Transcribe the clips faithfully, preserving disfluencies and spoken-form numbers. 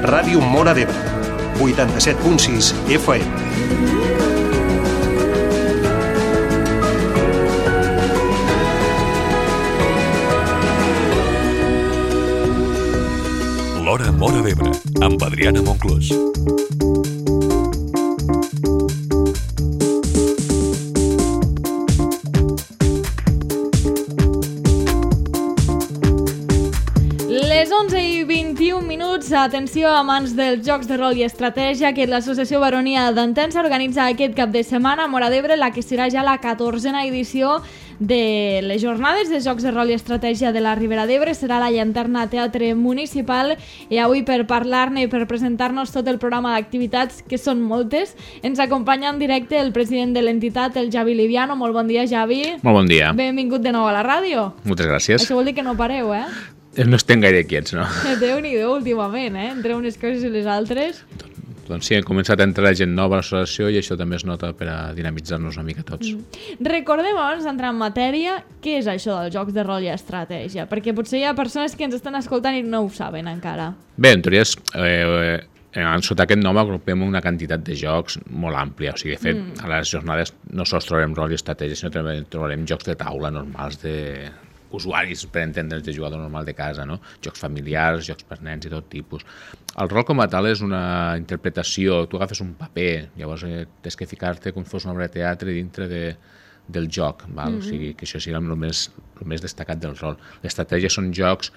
Ràdio Móra d'Ebre, vuitanta-set punt sis F M. L'Hora Móra d'Ebre, amb Adriana Monclús. Les onze i vint-i-un minuts, atenció amants dels jocs de rol i estratègia, que l'Associació Baronia d'Entença organitza aquest cap de setmana a Móra d'Ebre la que serà ja la catorzena edició de les jornades de jocs de rol i estratègia de la Ribera d'Ebre. Serà la Llanterna Teatre Municipal, i avui per parlar-ne i per presentar-nos tot el programa d'activitats, que són moltes, ens acompanya en directe el president de l'entitat, el Javi Liviano. Molt bon dia, Javi. Molt bon dia. Benvingut de nou a la ràdio. Moltes gràcies. Això vol dir que no pareu, eh? No estem gaire quiets, no? Déu-n'hi-do últimament, eh? Entre unes coses i les altres. Doncs sí, hem començat a entrar gent nova a l'associació i això també es nota per a dinamitzar-nos una mica tots. Mm. Recordem, abans d'entrar en matèria, què és això dels jocs de rol i estratègia? Perquè potser hi ha persones que ens estan escoltant i no ho saben encara. Bé, en teoria, és, eh, eh, sota aquest nom agrupem una quantitat de jocs molt àmplia. O sigui, de fet, mm. a les jornades no sols trobarem rol i estratègia, sinó també trobarem jocs de taula normals de usuaris, per entendre's, de jugador normal de casa, no? Jocs familiars, jocs per nens i tot tipus. El rol com a tal és una interpretació. Tu agafes un paper, llavors eh, tens que ficar-te com si fos una obra de teatre dintre de, del joc, val? Mm-hmm. O sigui, que això sigui el més, el més destacat del rol. L'estratègia són jocs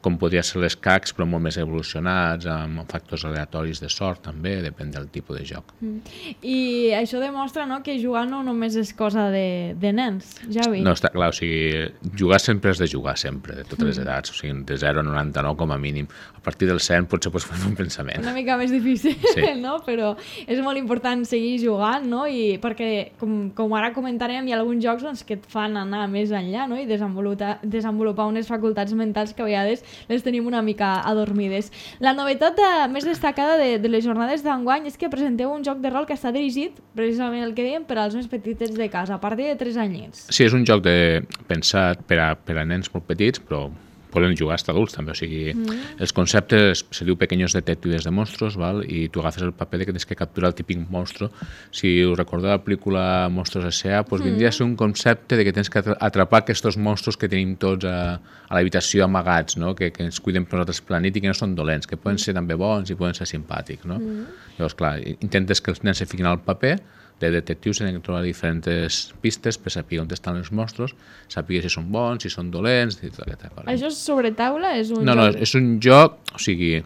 com podria ser les cacs, però molt més evolucionats, amb factors aleatoris de sort, també, depèn del tipus de joc. Mm. I això demostra, no?, que jugar no només és cosa de, de nens, Javi. No, està clar, o sigui, jugar sempre és de jugar sempre, de totes les edats, o sigui, de zero a noranta-nou com a mínim. A partir del cent potser pots fer un pensament. Una mica més difícil, sí. No? Però és molt important seguir jugant, no? I perquè, com, com ara comentarem, hi ha alguns jocs doncs, que et fan anar més enllà, no? I desenvolupar, desenvolupar unes facultats mentals que a vegades les tenim una mica adormides. La novetat de, més destacada de, de les jornades d'enguany és que presenteu un joc de rol que està dirigit, precisament el que dèiem, per als més petitets de casa, a partir de tres anyets. Sí, és un joc de, pensat per a, per a nens molt petits, però poden jugar hasta adults també, o sigui, mm. els conceptes se diu pequeños detectives de monstruos, val? I tu agafes el paper de que tens que capturar el típic monstru. Si us recordeu la pel·lícula Monstruos S A, doncs mm. vindria a ser un concepte de que tens que atrapar aquests monstros que tenim tots a, a l'habitació amagats, no? que, que ens cuiden per nosaltres planit i que no són dolents, que poden ser també bons i poden ser simpàtics. No? Mm. Llavors, clar, intentes que els nens se fiquin al paper de detectius, tenen que trobar diferents pistes per saber on estan els monstros, saber si són bons, si són dolents, i tota aquesta cosa. Això és sobre taula? És un no, joc... no, és un joc, o sigui,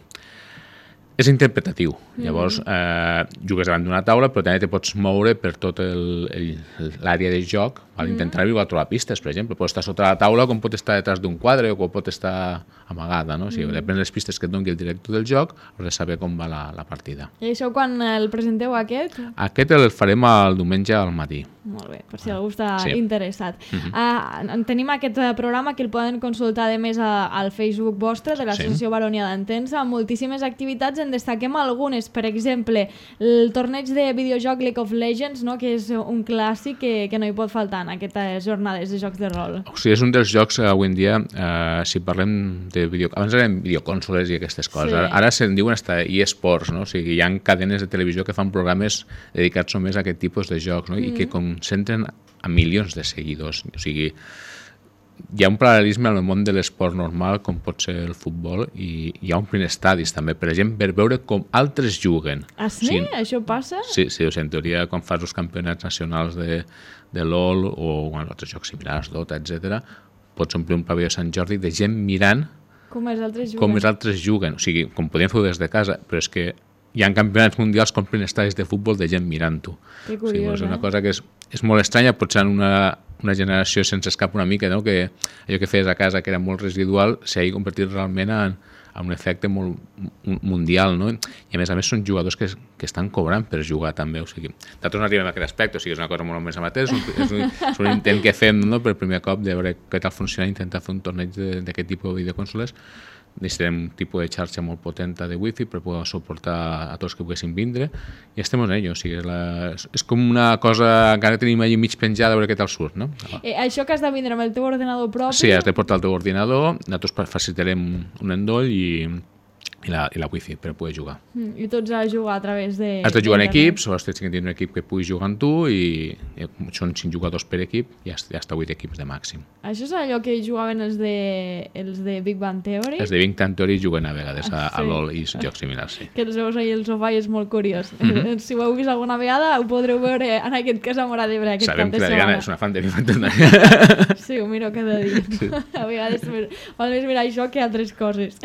és interpretatiu. Mm-hmm. Llavors, eh, jugues davant d'una taula, però també te pots moure per tot l'àrea de joc, val? Mm-hmm. Intentar arribar a trobar pistes, per exemple. Pot estar sota la taula, com pot estar detrás d'un quadre, o com pot estar amagada, no? O sigui, mm-hmm. depèn de les pistes que et doni el director del joc, has de saber com va la, la partida. I això quan el presenteu, aquest? Aquest el farem el diumenge al matí. Molt bé, per si algú està sí. interessat. Mm-hmm. Uh, tenim aquest programa que el poden consultar, a més, a, al Facebook vostre, de l'Associació sí. Baronia d'Entença, amb moltíssimes activitats. En destaquem algunes, per exemple, el torneig de videojoc League of Legends, no? Que és un clàssic que, que no hi pot faltar en aquestes jornades de jocs de rol. O sigui, és un dels jocs que avui en dia, eh, si parlem de video... Abans eren videoconsoles i aquestes coses, sí. ara, ara se'n diuen hasta eSports, no? O sigui, hi ha cadenes de televisió que fan programes dedicats només a aquest tipus de jocs, no? Mm. I que concentren a milions de seguidors. O sigui, hi ha un paral·lelisme al món de l'esport normal, com pot ser el futbol, i hi ha omplir estadis també, per exemple, per veure com altres juguen. Ah, sí? O sigui, això passa? Sí, sí, o sigui, en teoria, quan fas els campionats nacionals de, de LOL o bueno, altres jocs similars, Dota, etcètera, pots omplir un pavelló de Sant Jordi de gent mirant com els altres juguen. Com els altres juguen. O sigui, com podien fer des de casa, però és que hi ha campionats mundials que omplen estadis de futbol de gent mirant-ho. Que curiós, o sigui, és una cosa que és, és molt estranya, potser en una, una generació sense escap una mica, no? Que allò que feies a casa, que era molt residual, s'ha convertit realment en, en un efecte molt mundial, no? I a més a més són jugadors que, que estan cobrant per jugar també, o sigui, nosaltres no arribem a aquest aspecte, o sigui, és una cosa molt més amateur, és un, és un, és un intent que fem, no? Per primer cop de veure què tal funciona, intentar fer un torneig d'aquest tipus de videoconsoles. Necessitem un tipus de xarxa molt potenta de wifi per poder suportar a tots que poguessin vindre i estem en ello, o sigui, és, la, és com una cosa, encara tenim allà mig penjada a veure què tal surt, no? Eh, això que has de vindre amb el teu ordenador propi? Sí, has de portar el teu ordinador, nosaltres facilitarem un endoll i i la, i la wifi per poder jugar. Mm, I tots a jugar a través de... Has de jugar en equips, o has de tenir un equip que pugui jugar amb tu i, i són cinc jugadors per equip i hasta, hasta vuit equips de màxim. Això és allò que jugaven els de, els de Big Bang Theory? Els de Big Bang Theory juguen a vegades a, sí. a LOL i jocs similars, sí. Que els veus ahir al sofà i és molt curiós. Mm-hmm. Si ho heu vist alguna vegada, ho podreu veure en aquest cas a Móra d'Ebre aquest Sabem cap de que la setmana. Diana és una fan de Big Bang Theory. Sí, ho miro cada dia. Sí. A vegades val més mirar això que altres coses.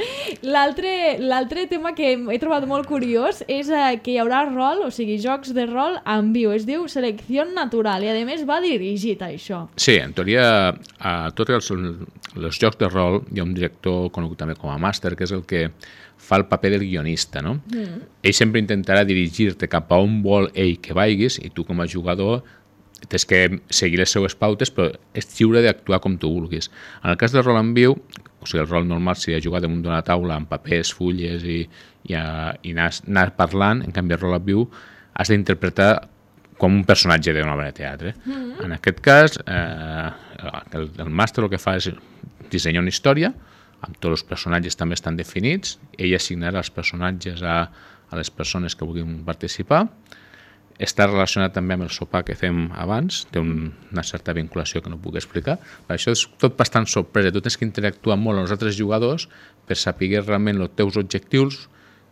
L'altre tema que he trobat molt curiós és eh, que hi haurà rol, o sigui, jocs de rol en viu. Es diu Selecció Natural i, a més, va dirigit a això. Sí, en teoria, a tots els, els jocs de rol hi ha un director conegut també com a màster, que és el que fa el paper del guionista, no? Mm. Ell sempre intentarà dirigir-te cap a on vol ell que vagis i tu com a jugador tens que seguir les seues pautes, però és lliure d'actuar com tu vulguis. En el cas del rol en viu, o sigui, el rol normal seria jugar damunt d'una taula amb papers, fulles i, i, a, i anar, anar parlant, en canvi el rol en viu has d'interpretar com un personatge d'una obra de teatre. Mm-hmm. En aquest cas, eh, el, el màster el que fa és dissenyar una història, amb tots els personatges també estan definits, ell assignarà els personatges a, a les persones que vulguin participar, està relacionat també amb el sopar que fem abans, té un, una certa vinculació que no puc explicar. Per això és tot bastant sorpresa, tu tens que interactuar molt amb els altres jugadors per saber realment els teus objectius,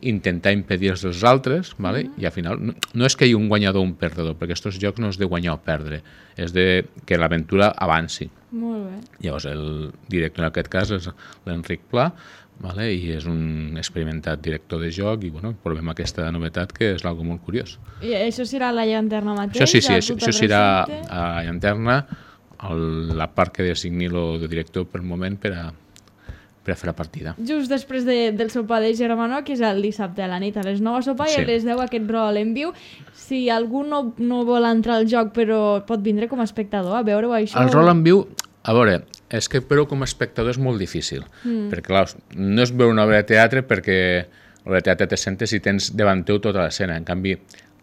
intentar impedir els dels altres, ¿vale? Mm-hmm. I al final no, no és que hi hagi un guanyador o un perdedor, perquè aquests jocs no és de guanyar o perdre, és de que l'aventura avanci. Molt bé. Llavors el director en aquest cas és l'Enric Pla, vale? I és un experimentat director de joc i bueno, provem aquesta novetat que és algo molt curiós. I això serà a la llanterna mateix? Això sí, sí, això, això serà a la llanterna, el, la part que designi el director per moment per a per a fer la partida. Just després de, del sopar de Germano, que és el dissabte a la nit a les nou a sopar, sí. I a les deu aquest rol en viu. Si algú no, no vol entrar al joc però pot vindre com a espectador a veure-ho això... El rol en viu, a veure, és que però com a espectador és molt difícil, mm. perquè clar, no és veure una obra de teatre perquè l'obra de teatre te sentes i tens davant teu tota l'escena, en canvi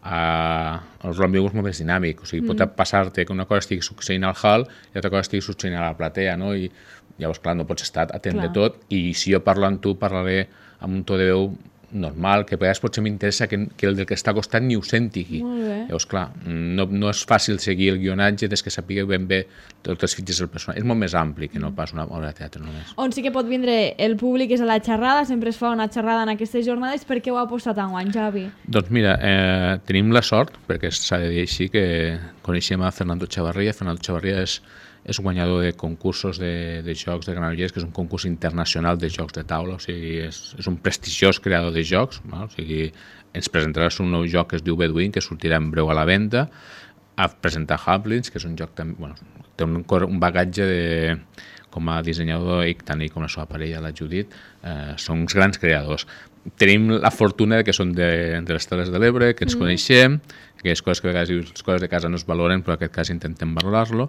Uh, el rol en viu és molt més dinàmic, o sigui, mm. pot passar-te que una cosa estigui succeint al hall i altra cosa estigui succeint a la platea, no? I llavors, clar, no pots estar atent clar. De tot, i si jo parlo amb tu, parlaré amb un to de veu normal, que a vegades potser m'interessa que, que el del que està al costat ni ho senti. Llavors, clar, no, no és fàcil seguir el guionatge des que sapigueu ben bé tots els fitxers del personatge. És molt més ampli que no pas una obra de teatre només. On sí que pot vindre el públic és a la xerrada, sempre es fa una xerrada en aquestes jornades. Per què ho ha apostat enguany, Javi? Doncs mira, eh, tenim la sort, perquè s'ha de dir així, que coneixem a Fernando Chavarria. Fernando Chavarria és és guanyador de concursos de, de jocs de Granollers, que és un concurs internacional de jocs de taula, o sigui, és, és un prestigiós creador de jocs, no? O sigui, ens presentarà un nou joc que es diu Bedouin, que sortirà en breu a la venda, a presentar Haplins, que és un joc també, bueno, té un, un bagatge de, com a dissenyador, i tant ell com la seva parella, la Judit, eh, són uns grans creadors. Tenim la fortuna de que són de, de les Terres de l'Ebre, que ens mm. coneixem, que és coses que a vegades les coses de casa no es valoren, però en aquest cas intentem valorar-lo,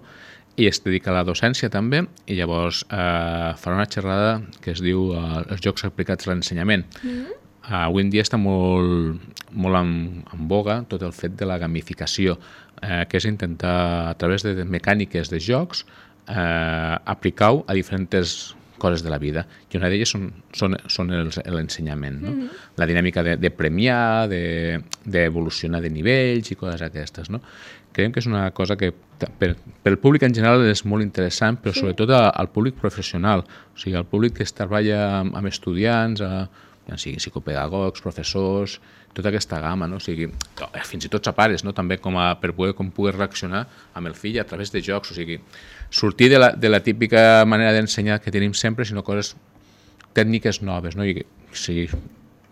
i es dedica a la docència també, i llavors eh, farà una xerrada que es diu eh, els jocs aplicats a l'ensenyament. Mm. Uh, avui en dia està molt, molt en, en boga tot el fet de la gamificació, eh, que és intentar, a través de mecàniques de jocs, eh, aplicar-ho a diferents coses de la vida, i una d'elles són, són, són l'ensenyament, no? Mm-hmm. La dinàmica de, de premiar, d'evolucionar de, de nivells i coses aquestes, no? Creiem que és una cosa que per, per el públic en general és molt interessant, però sí. Sobretot al públic professional, o sigui, al públic que treballa amb, amb estudiants, a, ja sigui psicopedagogs, professors, tota aquesta gamma, no? O sigui, fins i tot a pares, no? També com a, per poder, com poder reaccionar amb el fill a través de jocs, o sigui, sortir de la, de la típica manera d'ensenyar que tenim sempre, sinó coses tècniques noves, no? I si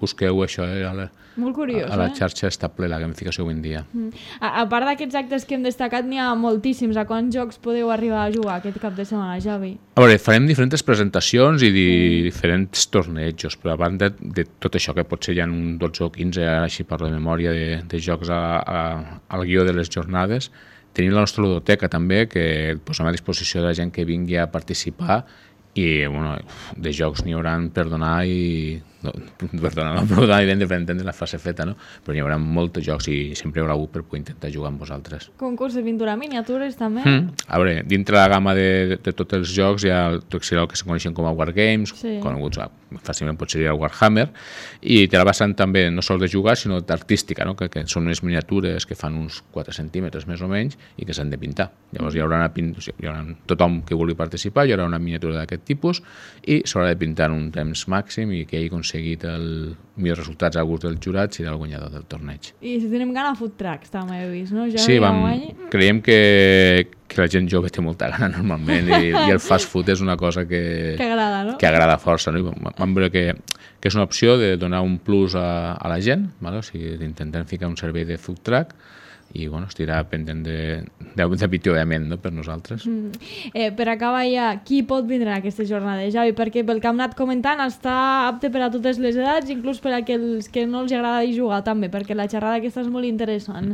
busqueu això eh, a, la, molt curiós, a la eh? xarxa està ple la gamificació avui en dia. Mm. A, a part d'aquests actes que hem destacat, n'hi ha moltíssims. A quants jocs podeu arribar a jugar aquest cap de setmana, Javi? A veure, farem diferents presentacions i di mm. diferents tornejos, però a banda de, de tot això, que potser hi ha un dotze o quinze, així parlo de memòria, de, de jocs a, a, al guió de les jornades, tenim la nostra ludoteca també, que posem a disposició de la gent que vingui a participar, i bueno, de jocs n'hi hauran per donar i no, perdona, no, perdona, evident per entendre la fase feta, no? Però hi haurà molts jocs i sempre hi haurà algú per poder intentar jugar amb vosaltres. Concurs de pintura, miniatures també? Mm. A veure, dintre la gamma de, de tots els jocs hi ha el, el que se coneixen com a Wargames, sí. coneguts fàcilment pot ser el Warhammer, i té la vessant també no sols de jugar, sinó d'artística, no? que, que són unes miniatures que fan uns quatre centímetres més o menys i que s'han de pintar. Llavors hi haurà, una pin... hi haurà tothom que vulgui participar, hi haurà una miniatura d'aquest tipus i s'haurà de pintar en un temps màxim i que hagi aconseguit els millors resultats a gust dels jurats i del guanyador del torneig. I si tenim gana food trucks, també he vist, no? Ja sí, vam, creiem que, que la gent jove té molta gana normalment i, i el fast food és una cosa que, que agrada, no? Que agrada força. No? Vam veure que, que és una opció de donar un plus a, a la gent, ¿vale? O sigui, d'intentar ficar un servei de food truck i bueno, estirà pendent de, de, de pitjorament, no? Per nosaltres. Mm. Eh, per acabar ja, qui pot vindre a aquesta jornada, Javi? Perquè pel que hem anat comentant està apte per a totes les edats, inclús per a aquells que no els agrada jugar també, perquè la xerrada aquesta és molt interessant.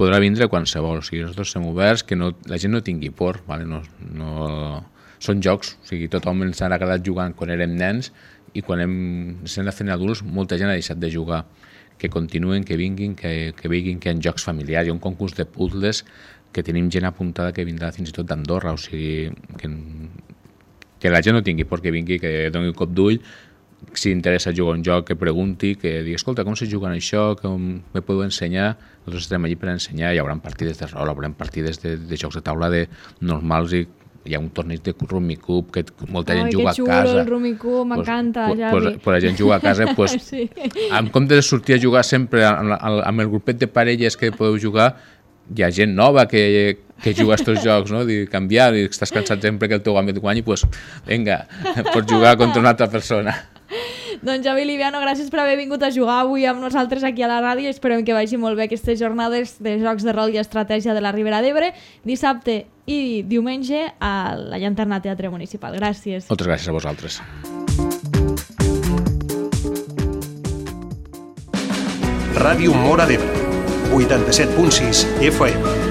Podrà vindre qualsevol, o sigui, nosaltres som oberts, que no, la gent no tingui por, vale? no, no... són jocs, o sigui, tothom ens ha agradat jugant quan érem nens i quan hem estem fent adults molta gent ha deixat de jugar. Que continuen, que vinguin, que, que vinguin, que hi ha jocs familiars. Hi ha un concurs de puzzles que tenim gent apuntada que vindrà fins i tot d'Andorra, o sigui, que, que la gent no tingui por que vingui, que doni un cop d'ull, si interessa jugar un joc, que pregunti, que digui, escolta, com se juga en això, com me podeu ensenyar? Nosaltres estarem allí per ensenyar, hi haurà partides de rol, hi haurà partides de, de jocs de taula de normals i hi ha un torneig de Rummikub que molta gent juga a casa. Ai, que xulo, el Rummikub, m'encanta, pues, Javi. Pues, pues la gent juga a casa, pues, sí. En comptes de sortir a jugar sempre amb, amb el grupet de parelles que podeu jugar, hi ha gent nova que, que juga a aquests jocs, no? Dir, canviar, i estàs cansat sempre que el teu amic guanyi, pues, vinga, pots jugar contra una altra persona. Doncs Javi Liviano, gràcies per haver vingut a jugar avui amb nosaltres aquí a la ràdio. Esperem que vagi molt bé aquestes jornades de jocs de rol i estratègia de la Ribera d'Ebre, dissabte i diumenge a la Llanterna Teatre Municipal. Gràcies. Moltes gràcies a vosaltres. Ràdio Móra d'Ebre, vuitanta-set punt sis F M.